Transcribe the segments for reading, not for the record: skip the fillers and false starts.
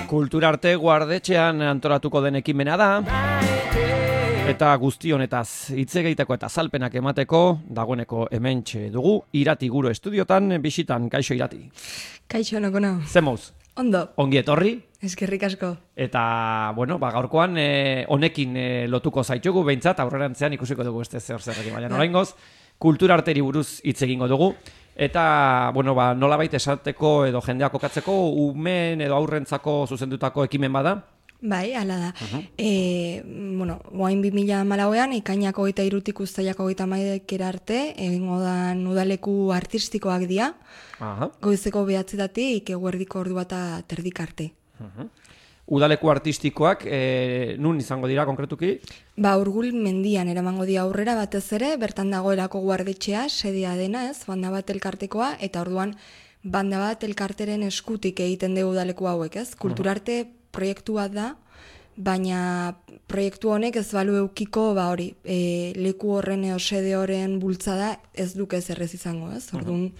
Kulturarte Guardetxean antolatuko den ekimena da. Eta guzti honetaz hitz egiteko eta azalpenak emateko dagoeneko hementxe dugu Irati Guro estudiotan bisitan. Kaixo Irati. Kaixo nokona. Zemoz? Ondo. Ongi etorri. Eskerrik asko. Eta, gaurkoan honekin lotuko zaitugu, behintzat aurrerantzean ikusiko dugu beste zerrekin. Baina oraingoz, kulturarteri buruz hitz egingo dugu. Eta, nolabait esateko edo jendeak kokatzeko umeen edo aurrentzako zuzendutako ekimen bada? Bai, hala da. Oain 2014an, ekainak 23tik uztailak 31 arte, egingo da udaleku artistikoak dira, goizeko 9:00 eguerdiko ordu bata terdik arte. Udaleku artistikoak, nun izango dira konkretuki? Urgul mendian eramango dira aurrera batez ere, bertan dagoelako guardetxea, sedia dena ez, banda bat elkartekoa, eta orduan banda bat elkarteren eskutik egiten dugu udaleku hauek ez, kulturarte proiektua da, baina proiektu honek ez balu eukiko, leku horren sede horren bultzada ez duke ez errez izango ez, orduan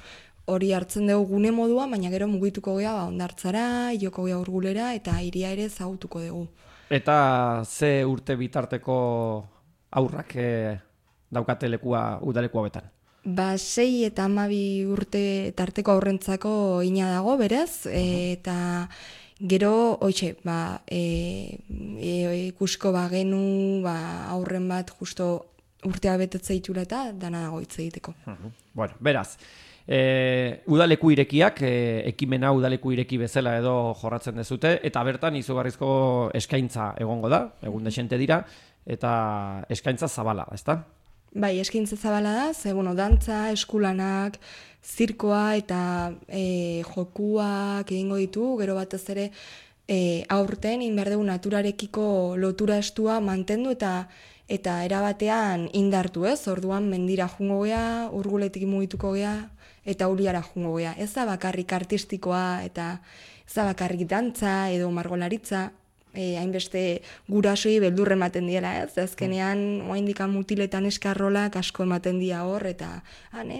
hori hartzen dugu gune modua, baina gero mugituko gea Hondartzara, joko gea Urgulera eta hiria ere zagutuko dugu. Eta ze urte bitarteko aurrak daukate lekua udaleku hauetan? 6 eta 12 urte tarteko aurrentzako ina dago berez, eta gero, ikusko bagenu aurren bat justo urtea betetze itula eta dana dago hitz egiteko. Beraz, udaleku irekiak, ekimena udaleku ireki bezala edo jorratzen dezute, eta bertan izugarrizko eskaintza egongo da, egun desente dira, eta eskaintza zabala, ezta? Bai, eskaintza zabala da, dantza, eskulanak, zirkoa eta jokuak egingo ditu, gero batez ere aurten inberdegu naturarekiko lotura estua mantendu eta erabatean indartu ez, orduan mendira jungo gea, Urguletik mugituko gea, eta Uliara jungo gea. Ez da bakarrik artistikoa eta ez da bakarrik dantza edo margolaritza, hainbeste gurasoi beldurre ematen diela ez, azkenean oraindik mutiletan eskarrolak asko ematen dira hor, eta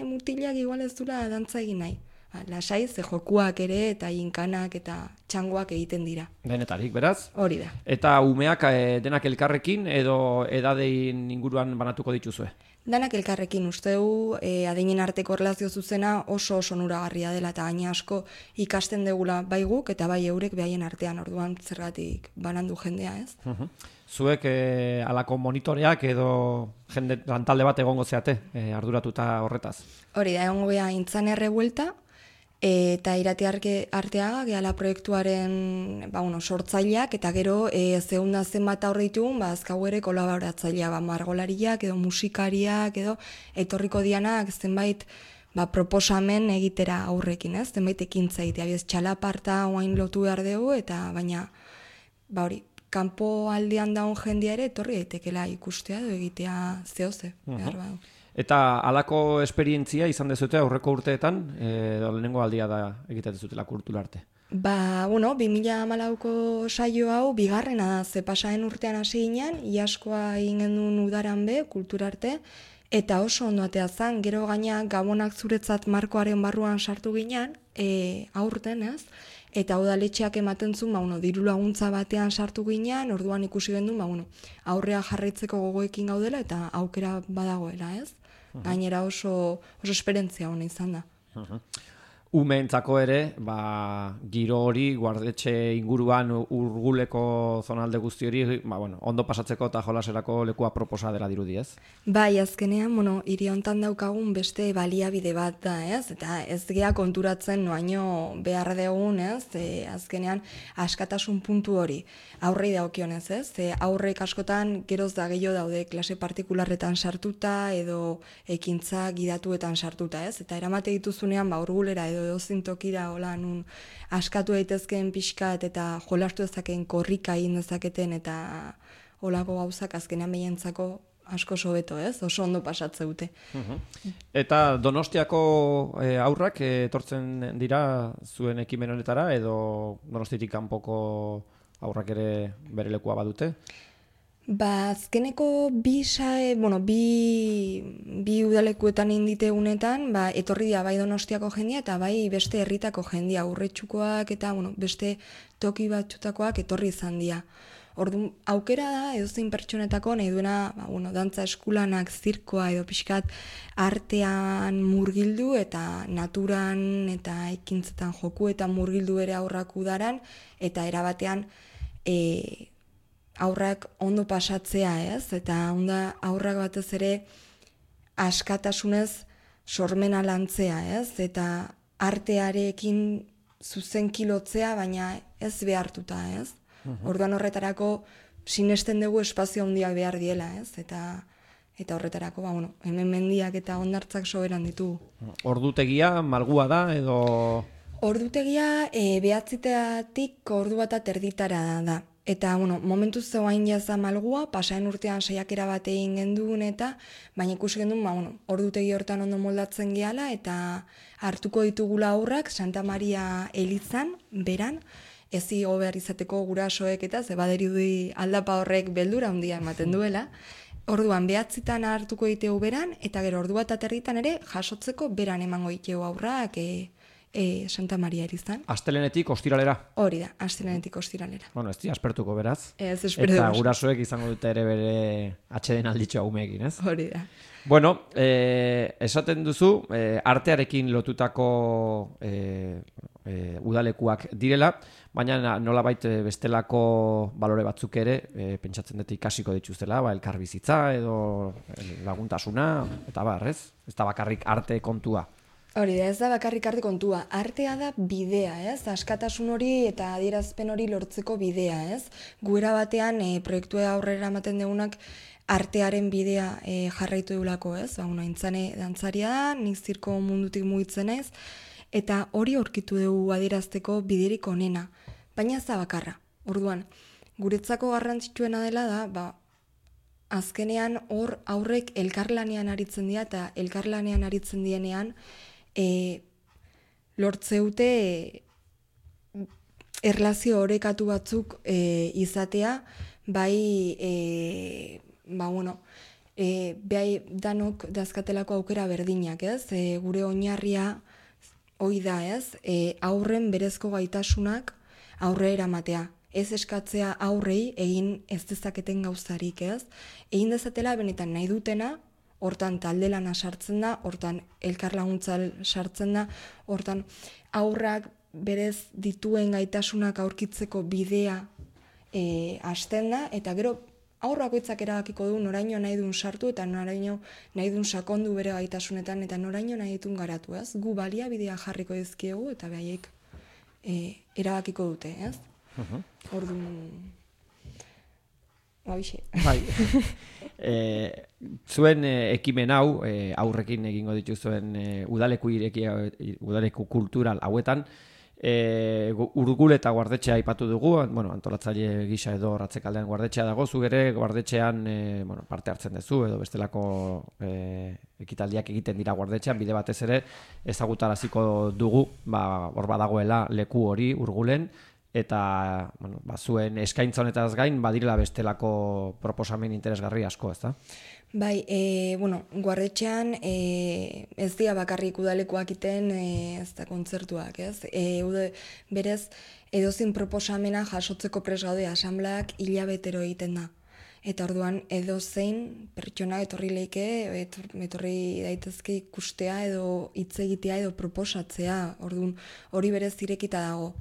mutilak igual ez dula dantza egin nahi. Lasai, ze jokuak ere eta inkanak eta txangoak egiten dira. Denetarik, beraz? Hori da. Eta umeak denak elkarrekin edo edadein inguruan banatuko dituzue? Danak elkarrekin uste du, adinen arteko erlazio zuzena oso onuragarria dela eta gaina asko ikasten degula bai guk eta bai eurek behaien artean, orduan zergatik banandu jendea ez. Zuek alako monitoreak edo jende lantalde bat egongo zeate arduratuta horretaz? Hori da, egongo beha intzan errebuelta, eta Irati Arteaga gehala proiektuaren sortzaileak, eta gero zeunda zenbat aurre ditugun, azkau ere kolaboratzailea, margolariak edo musikariak edo etorriko dianak zenbait proposamen egitera aurrekin, ez? Zenbait ekintza egitea, txalaparta oain lotu behar dugu, eta baina hori, kanpo aldean daun jendia ere etorri daitekela ikustea edo egitea zehoze, behar badu. Eta halako esperientzia izan dezute aurreko urteetan, lehenengo aldia da egiten dezutela kulturarte? 2014ko saio hau bigarrena da, ze pasaren urtean hasi ginen, iaskoa egin genuen udaran be, kulturarte, eta oso ondo atea zen, gero gaina gabonak zuretzat markoaren barruan sartu ginen, aurten ez, eta udaletxeak ematen zuen, diru laguntza batean sartu ginen, orduan ikusi gendun, aurrea jarraitzeko gogoekin gaudela eta aukera badagoela, ez? Gainera oso esperientzia hona izan da. Umeentzako ere, giro hori, guardetxe inguruan Urguleko zonalde guzti hori, ondo pasatzeko eta jolaserako lekua proposa dela dirudi, ez? Bai, azkenean, hiri hontan daukagun beste baliabide bat da, ez? Eta ez gea konturatzen noaino behar dugun, ez? Azkenean askatasun puntu hori aurrei daukionez, ez? Aurrek askotan geroz da gehiago daude klase partikularretan sartuta edo ekintza gidatuetan sartuta, ez? Eta eramate dituzunean, Urgulera edo zintokira hola nun askatu daitezkeen pixkat eta jolastu dezakeen korrika egin dezaketen eta holako gauzak azkenean behientzako asko sobeto, ez? Oso ondo pasatze dute. Eta Donostiako aurrak etortzen dira zuen ekimen honetara edo Donostiatik kanpoko aurrak ere bere lekua badute? Azkeneko bi udalekuetan indite unetan, etorri dira bai Donostiako jendia eta bai beste herritako jendia, Urretxukoak eta beste toki batxutakoak etorri izan dira. Orduan, aukera da, edozein pertsonetako nahi duena, dantza eskulanak, zirkoa edo pixkat artean murgildu eta naturan eta ekintzetan joku eta murgildu ere aurrak udaran, eta erabatean aurrak ondo pasatzea, ez? Eta onda aurrak batez ere askatasunez sormena lantzea, ez? Eta artearekin zuzenki lotzea, baina ez behartuta, ez? Orduan horretarako sinesten dugu espazio handiak behar diela, ez? Eta horretarako, hemen mendiak eta hondartzak soberan ditugu. Ordutegia malgua da edo... Ordutegia 9:00tik ordu bat erditara da. Eta, momentu zegoain jaza malgua, pasaen urtean saiakera bat egin gendun eta, baina ikusi gendun, ordutegi hortan ondo moldatzen gehala eta hartuko ditugula aurrak Santa Maria elizan, beran, ezi behar izateko gurasoek eta zebaderi du aldapa horrek beldura handia ematen duela. Orduan 9:00 hartuko ditegu beran, eta gero ordu bat aterritan ere jasotzeko beran emango ditegu aurrak Santa Maria elizan. Astelenetik ostiralera? Hori da, astelenetik ostiralera. Ez di aspertuko beraz. Ez espertu. Eta gurasoek izango dute ere bere atxeden alditxoa umeekin, ez? Hori da. Esaten duzu, artearekin lotutako udalekuak direla, baina nolabait bestelako balore batzuk ere pentsatzen dut ikasiko dituztela, elkarbizitza edo laguntasuna, eta ez? Ez da bakarrik arte kontua. Hori da, ez da bakarrik arte kontua. Artea da bidea, ez? Askatasun hori eta adierazpen hori lortzeko bidea, ez? Guera batean proiektua aurrera ematen deunak artearen bidea jarraitu eulako, ez? Intzane dantzaria da, nik zirko mundutik mugitzen ez, eta hori aurkitu dugu adierazteko biderik onena, baina ez da bakarra. Orduan, guretzako garrantzitsuena dela da, azkenean hor aurrek elkarlanean aritzen dira eta elkarlanean aritzen dienean lortzeute erlazio orekatu batzuk izatea, behai danok dazkatelako aukera berdinak, ez? Gure oinarria hoi da, ez? Aurren berezko gaitasunak aurre eramatea. Ez eskatzea aurrei egin ez dezaketen gauzarik, ez? Egin dezatela benetan nahi dutena, hortan talde lana sartzen da, hortan elkarlaguntzal sartzen da, hortan aurrak berez dituen gaitasunak aurkitzeko bidea hasten da, eta gero aurrakoitzak erabakiko du noraino nahi duen sartu eta noraino nahi duen sakondu bere gaitasunetan eta noraino nahi dituen garatu, ez? Gu baliabidea jarriko dizkiegu eta behaiek erabakiko dute, ez? Orduan... Bai. Zuen ekimen hau, aurrekin egingo dituzuen udaleku kultural hauetan, Urgul eta guardetxea aipatu dugu, antolatzaile gisa edo Ratzekaldean guardetxea dago, zu ere guardetxean parte hartzen duzu, edo bestelako ekitaldiak egiten dira guardetxean, bide batez ere ezagutaraziko dugu, hor badagoela leku hori Urgulen, eta zuen eskaintza honetaz gain badirela bestelako proposamen interesgarri asko, ez da? Bai, guardetxean ez dira bakarrik udalekoak iten ez da kontzertuak, ez? Berez, edozin proposamena jasotzeko prest gaude asambleak hilabetero egiten da. Eta orduan edozein pertsona etorri leike, etorri daitezke ikustea edo hitz egitea edo proposatzea. Orduan hori berez irekita dago.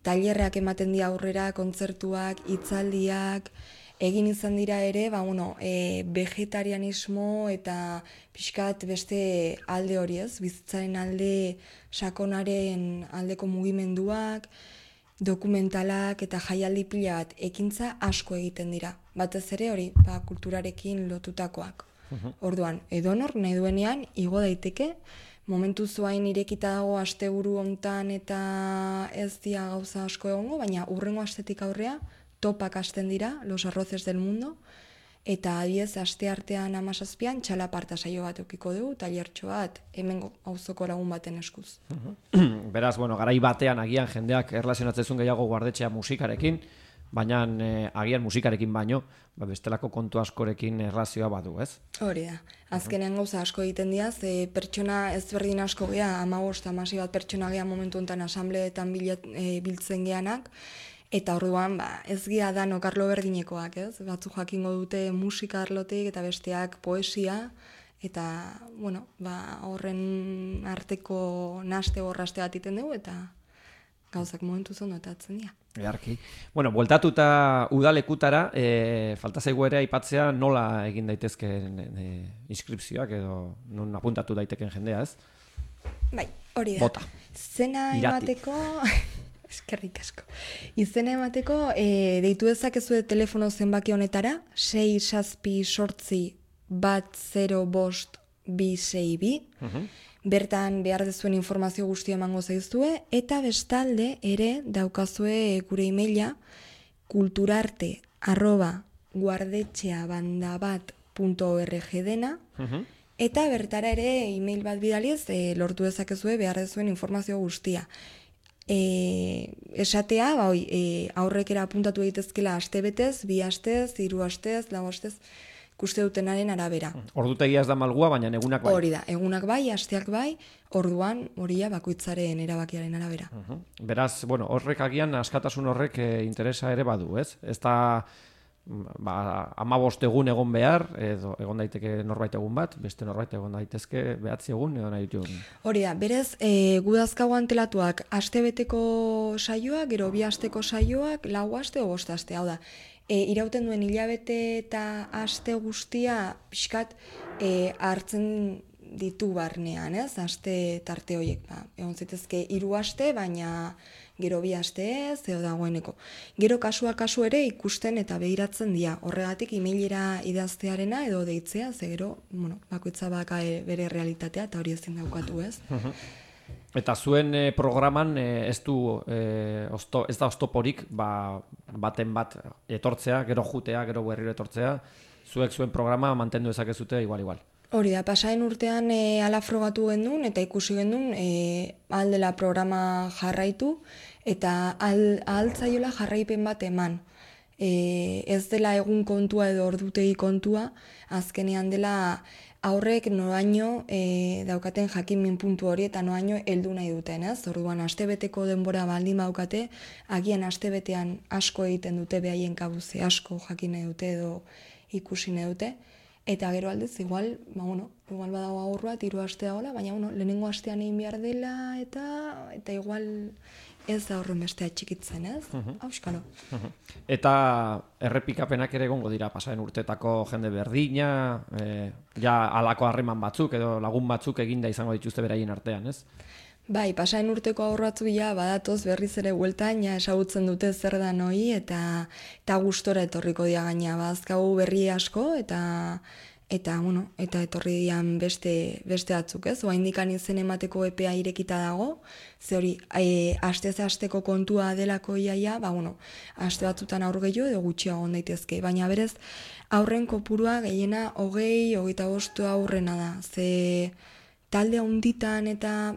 Tailerrak ematen dira aurrera, kontzertuak, hitzaldiak, egin izan dira ere, vegetarianismo eta pixkat beste alde hori, ez? Bizitzaren alde, sakonaren aldeko mugimenduak, dokumentalak eta jaialdi pila bat ekintza asko egiten dira. Batez ere hori, kulturarekin lotutakoak. Orduan, edonor nahi duenean igo daiteke, momentu zuain irekita dago asteburu hontan eta ez dia gauza asko egongo, baina hurrengo astetik aurrea topak hasten dira, Los Arroces del Mundo, eta adiez aste artean 17an txalaparta saio bat eukiko dugu, tailertxo bat, hemengo auzoko lagun baten eskuz. Beraz, garai batean agian jendeak erlazionatzen gehiago guardetxea musikarekin, baina agian musikarekin baino, bestelako kontu askorekin erlazioa badu, ez? Hori da. Azkenean gauza asko egiten dira, ze pertsona ezberdin asko gea, 15-16 bat pertsona gea momentu honetan asambleetan biltzen geanak, eta orduan, ez gira danok arlo berdinekoak, ez? Batzu jakingo dute musika arlotik eta besteak poesia, eta, horren arteko naste borraste bat iten dugu, eta gauzak momentu zondotatzen dira. Earki. Bueltatuta udalekutara, falta zaigu ere aipatzea nola egin daitezkeen inskripzioak edo non apuntatu daiteken jendea, ez? Bai, hori da. Bota. Izena emateko... Eskerrik asko. Izena emateko, deitu dezakezue telefono zenbaki honetara, 6-7-1-0-5-2-6-2. Bertan behar dezuen informazio guztia emango zaizue, eta bestalde ere daukazue gure emaila kulturarte@guardetxeabandabat.org dena, eta bertara ere email bat bidaliz lortu dezakezue behar dezuen informazio guztia. Esatea, aurrekera apuntatu egitezkela aste betez, 2 astez, 3 astez, 4 astez, ikuste dutenaren arabera. Ordutegia ez da malgua, baina egunak bai. Hori da, egunak bai, asteak bai, orduan horia bakoitzaren erabakiaren arabera. Beraz, horrek agian askatasun horrek interesa ere badu, ez? Ez da 15 egun egon behar, edo egon daiteke norbait egun bat, beste norbait egon daitezke 9 egun edo nahi ditugun. Hori da, berez, gudazkago antelatuak astebeteko saioak, gero 2 asteko saioak, 4 aste o 5 aste, hau da. Irauten duen hilabete eta aste guztia pixkat hartzen ditu barnean, ez? Aste tarte horiek, egon zitezke 3 aste, baina gero 2 aste ez, edo dagoeneko. Gero kasua kasu ere ikusten eta behiratzen dira. Horregatik emailera idaztearena edo deitzea, ze gero, bakoitza baka bere realitatea eta hori ezin daukatu, ez? Eta zuen programan ez da oztoporik baten bat etortzea, gero jutea, gero berriro etortzea, zuek zuen programa mantendu ezakezute igual. Hori da, pasaren urtean ala frogatu gendun eta ikusi gendun aldela programa jarraitu eta ahaltzaiola jarraipen bat eman. Ez dela egun kontua edo ordutegi kontua, azkenean dela aurrek noraino daukaten jakinmin puntu hori eta noraino heldu nahi duten, ez? Orduan astebeteko denbora baldin baukate, agian astebetean asko egiten dute behaien kabuze, asko jakin nahi dute edo ikusi nahi dute. Eta gero aldez, igual badago aurroa, 3 aste dagoela, baina lehenengo astean egin behar dela eta igual ez da horren bestea txikitzen, ez? Auskalo. Eta errepikapenak ere egongo dira pasaren urtetako jende berdina, ja halako harreman batzuk edo lagun batzuk eginda izango dituzte beraien artean, ez? Bai, pasaren urteko aurratzu badatoz berriz ere bueltan, esagutzen dute zer da noi eta gustora etorriko dia gaina, bazkagu berri asko eta etorri dian beste batzuk, ez? Oraindikan izen emateko epea irekita dago, ze hori astez-asteko kontua delako iaia, aste batzutan aur gehiago edo gutxiago egon daitezke, baina berez aurren kopurua gehiena 20-25 aurrena da, ze talde handitan eta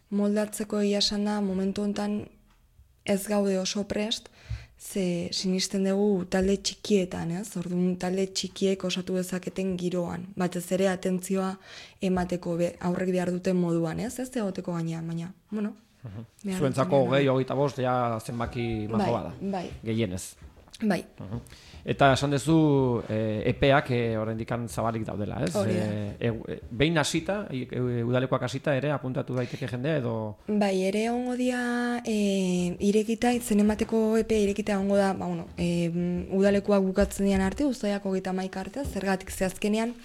moldatzeko egia esan da, momentu honetan ez gaude oso prest, ze sinisten dugu talde txikietan, ez? Orduan talde txikiek osatu dezaketen giroan, batez ere atentzioa emateko aurrek behar duten moduan, ez? Ez egoteko gainean, baina, zuentzako 20-25 ja zenbaki majo bada, gehienez. Bai. Eta esan duzu epeak oraindikan zabalik daudela, ez? Behin hasita, udalekoak hasita ere apuntatu daiteke jendea edo... Bai, ere ongo dia irekita, izen emateko epe irekita ongo da, udalekoak bukatzen dian arte, uztaiak 31 arte, zergatik zehazkenean,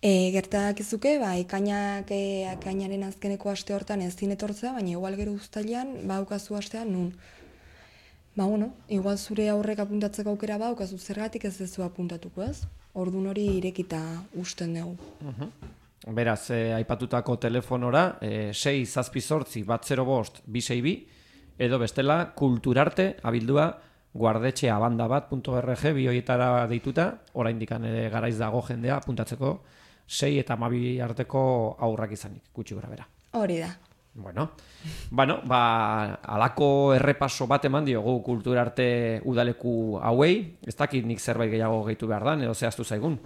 gertadakizuke, ekainaren azkeneko aste hortan ez zinetortzea, baina igual gero uztailan, baukazu astean nun. Igual zure aurrek apuntatzeko aukera baukazu zergatik ez dezu apuntatuko, ez? Ordun hori irekita usten dugu. Beraz, aipatutako telefonora 6-7-1-0-5-2-6-2 edo bestela kulturarte abildua guardetxeabandabat.org bi horietara deituta, oraindikan ere garaiz dago jendea apuntatzeko 6 eta 12 arteko aurrak izanik, gutxi gora bera. Hori da. Bueno, alako errepaso bat eman diogu kulturarte udaleku hauei, ez dakit nik zerbait gehiago gehitu behar dan, edo zehaztu zaigun.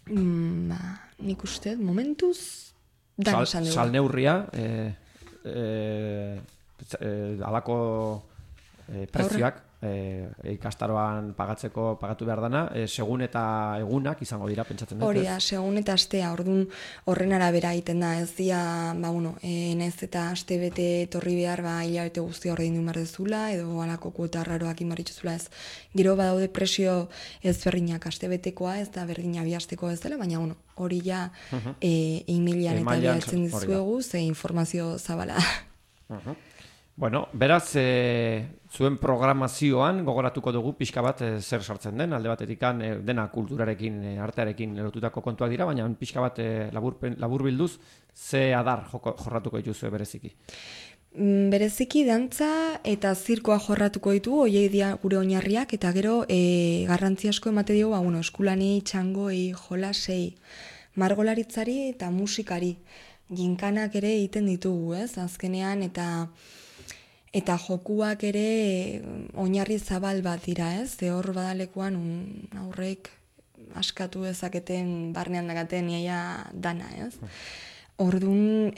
Nik uste, momentuz, dan esan dugu. Salneurria, alako prezioak, ikastaroan pagatu behar dana, segun eta egunak izango dira, pentsatzen dut. Hori da, segun eta astea, orduan horren arabera egiten da, ez dia, naiz eta aste bete etorri behar, hilabete guztia ordaindu behar dezula, edo alako kuota raroak inbarritxuzula ez. Gero badaude presio ezberdinak aste betekoa, ez da berdina bihastekoa ez dela, baina hori ja e-mailean eta bilatzen dizuegu, ze informazio zabala. Bueno, beraz, zuen programazioan gogoratuko dugu pixka bat zer sartzen den, alde batetik dena kulturarekin, artearekin lotutako kontuak dira, baina pixka bat labur bilduz, ze adar jorratuko dituzue bereziki? Bereziki dantza eta zirkoa jorratuko ditu, hoiei dira gure oinarriak, eta gero garrantzi asko emate diogu, eskulani, txangoi, jolasei, margolaritzari eta musikari. Ginkanak ere egiten ditugu, ez? Azkenean eta jokuak ere oinarri zabal bat dira, ez? Ze hor badalekuan aurrek askatu dezaketen barnean dagaten iaia dana, ez? Orduan,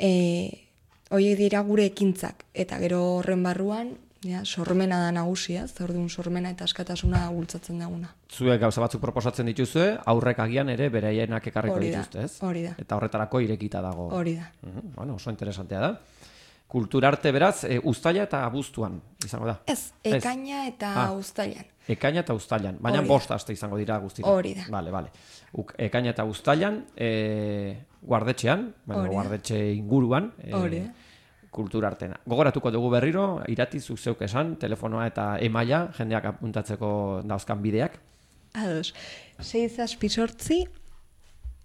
horiek dira gure ekintzak, eta gero horren barruan, sormena da nagusia, orduan sormena eta askatasuna bultzatzen daguna. Zuek gauza batzuk proposatzen dituzue, aurrek agian ere beraienak ekarriko dituzte, ez? Hori da. Eta horretarako irekita dago. Hori da. Bueno, oso interesantea da. Kulturarte beraz, uztaila eta abuztuan izango da? Ez, ekaina eta uztailan. Ekaina eta uztailan, baina 5 aste izango dira guztira. Hori da. Bale. Ekaina eta uztailan, guardetxean, guardetxe inguruan, kulturartena. Gogoratuko dugu berriro, Irati zuk zeuk esan, telefonoa eta emaila, jendeak apuntatzeko dauzkan bideak. Ados, 6 10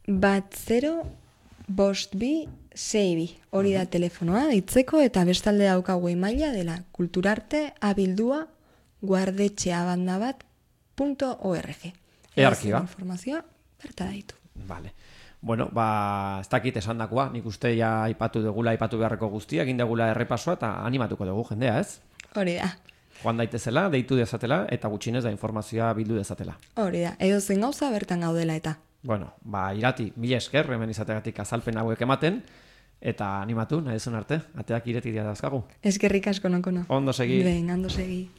52 6 hori da telefonoa, ditzeko, eta bestalde daukagu emaila dela kulturarte@guardetxeabandabat.org. Earkiba. Informazioa bertara ditu. Vale. Bueno, ez dakit esandakoa, nik uste ja aipatu beharreko guztia, egin degula errepasoa eta animatuko dugu jendea, ez? Hori da. Joan daitezela, deitu dezatela eta gutxinez da informazioa bildu dezatela. Hori da, edozein gauza bertan gaudela eta. Bueno, Irati, mila esker, hemen izategatik azalpen hauek ematen, eta animatu, nahi duzun arte, ateak ireti dira dauzkagu. Eskerrik asko nokono. Ondo segi. Ondo segi.